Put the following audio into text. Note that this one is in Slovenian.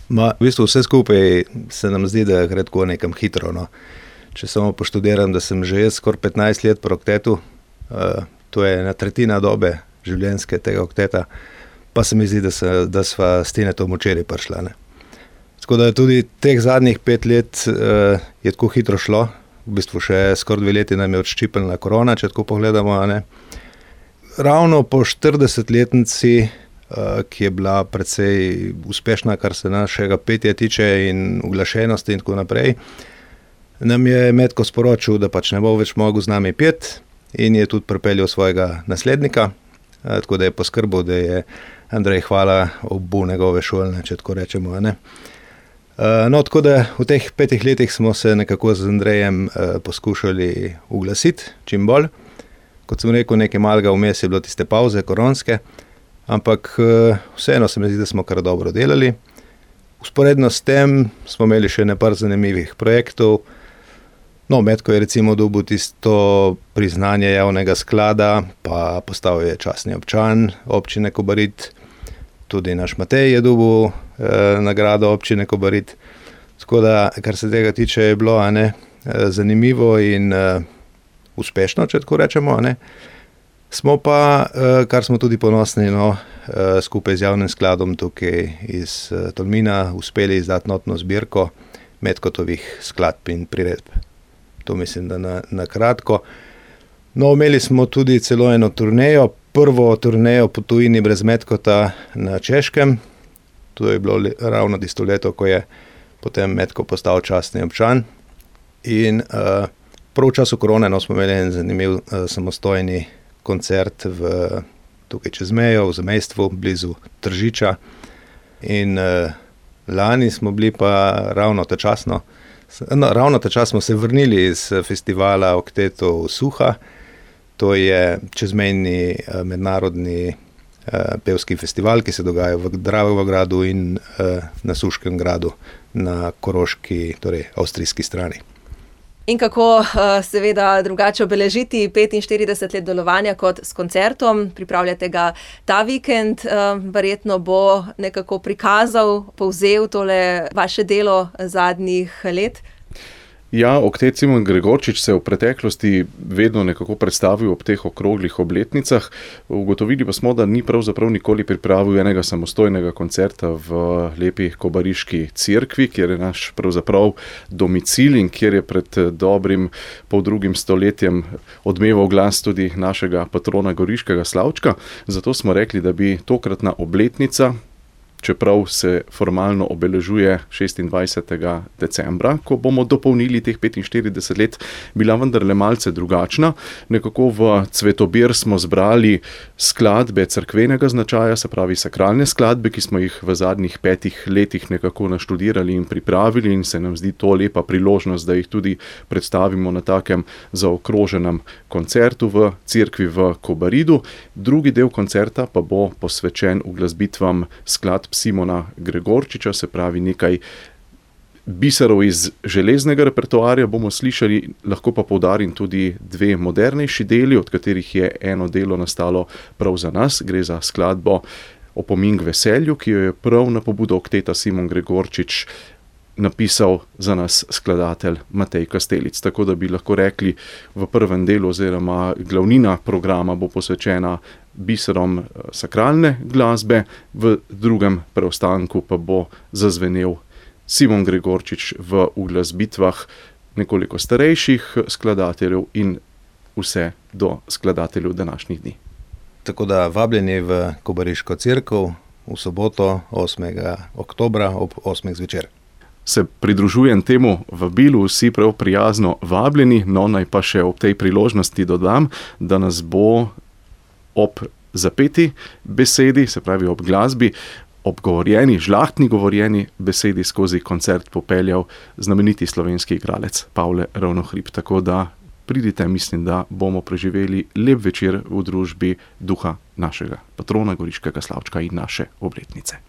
V bistvu vse skupaj se nam zdi, da gre tako nekam hitro. No. Če samo poštudiram, da sem že jaz skoraj 15 let pri oktetu, to je 1/3 dobe življenjske tega okteta, pa se mi zdi, da sva s Tinetom včeraj prišla. Ne. Tako da tudi teh zadnjih 5 let je tako hitro šlo, v bistvu še skoraj 2 leti nam je odščipnila korona, če tako pogledamo. Ne. Ravno po 40-letnici, ki je bila precej uspešna, kar se našega petja tiče in uglašenosti in tako naprej, nam je Metko sporočil, da pač ne bo več mogel z nami peti in je tudi pripeljal svojega naslednika, tako da je poskrbel, da je Andrej Hvala obu njegove šolne, če tako rečemo. Ne. No, tako da v teh 5 letih smo se nekako z Andrejem poskušali uglasiti čim bolj. Kot sem rekel, nekaj malega vmes je bilo tiste pavze koronske, ampak vseeno se mi zdi, da smo kar dobro delali. Usporedno s tem smo imeli še nekaj zanimivih projektov. No, Metko je recimo dobil tisto priznanje javnega sklada, pa postal je častni občan občine Kobarid. Tudi naš Matej je dobil nagrado občine Kobarid. Tako da, kar se tega tiče, je bilo zanimivo in uspešno, če tako rečemo. Ne. Smo pa, kar smo tudi ponosni, skupaj z javnim skladom tukaj iz Tolmina uspeli izdati notno zbirko Metkotovih skladb in priredb. To mislim, da na kratko. No, imeli smo tudi celo eno turnejo, prvo turnejo po tujini brez Metkota na Češkem. To je bilo ravno tisto leto, ko je potem Metko postal častni občan. In prav v času korone smo imeli en zanimiv samostojni koncert tukaj čez mejo, v zamejstvu, blizu Tržiča. In lani smo bili pa ravno ta čas smo se vrnili iz festivala Oktetov Suha. To je čezmejni mednarodni pevski festival, ki se dogaja v Dravogradu in na Suškem gradu na koroški, torej avstrijski strani. In kako seveda drugače obeležiti 45 let delovanja kot s koncertom? Pripravljate ga ta vikend, verjetno bo nekako prikazal, povzel tole vaše delo zadnjih let. Ja, oktet Simon Gregorčič se v preteklosti vedno nekako predstavil ob teh okroglih obletnicah. Ugotovili pa smo, da ni pravzaprav nikoli pripravil enega samostojnega koncerta v lepi kobariški cerkvi, kjer je naš pravzaprav domicil in kjer je pred dobrim poldrugim stoletjem odmeval glas tudi našega patrona Goriškega Slavčka. Zato smo rekli, da bi tokratna obletnica, čeprav se formalno obeležuje 26. decembra, ko bomo dopolnili teh 45 let, bila vendarle malce drugačna. Nekako v cvetobir smo zbrali skladbe cerkvenega značaja, se pravi sakralne skladbe, ki smo jih v zadnjih 5 letih nekako naštudirali in pripravili in se nam zdi to lepa priložnost, da jih tudi predstavimo na takem zaokroženem koncertu v cerkvi v Kobaridu. Drugi del koncerta pa bo posvečen uglasbitvam skladb Simona Gregorčiča, se pravi nekaj biserov iz železnega repertoarja bomo slišali, lahko pa poudarim tudi 2 modernejši deli, od katerih je eno delo nastalo prav za nas. Gre za skladbo Opomin k veselju, ki jo je prav na pobudo okteta Simon Gregorčič napisal za nas skladatelj Matej Kastelic. Tako da bi lahko rekli, v prvem delu oziroma glavnina programa bo posvečena biserom sakralne glasbe, v drugem preostanku pa bo zazvenel Simon Gregorčič v uglasbitvah nekoliko starejših skladateljev in vse do skladateljev današnjih dni. Tako da vabljeni v Kobariško cerkev v soboto 8. oktobra ob 8. zvečer. Se pridružujem temu vabilu, vsi prav prijazno vabljeni, no naj pa še ob tej priložnosti dodam, da nas bo ob zapeti besedi, se pravi ob glasbi, ob govorjeni, žlahtni govorjeni besedi skozi koncert popeljal znameniti slovenski igralec Pavle Ravnohrib. Tako da pridite, mislim, da bomo preživeli lep večer v družbi duha našega patrona Goriškega Slavčka in naše obletnice.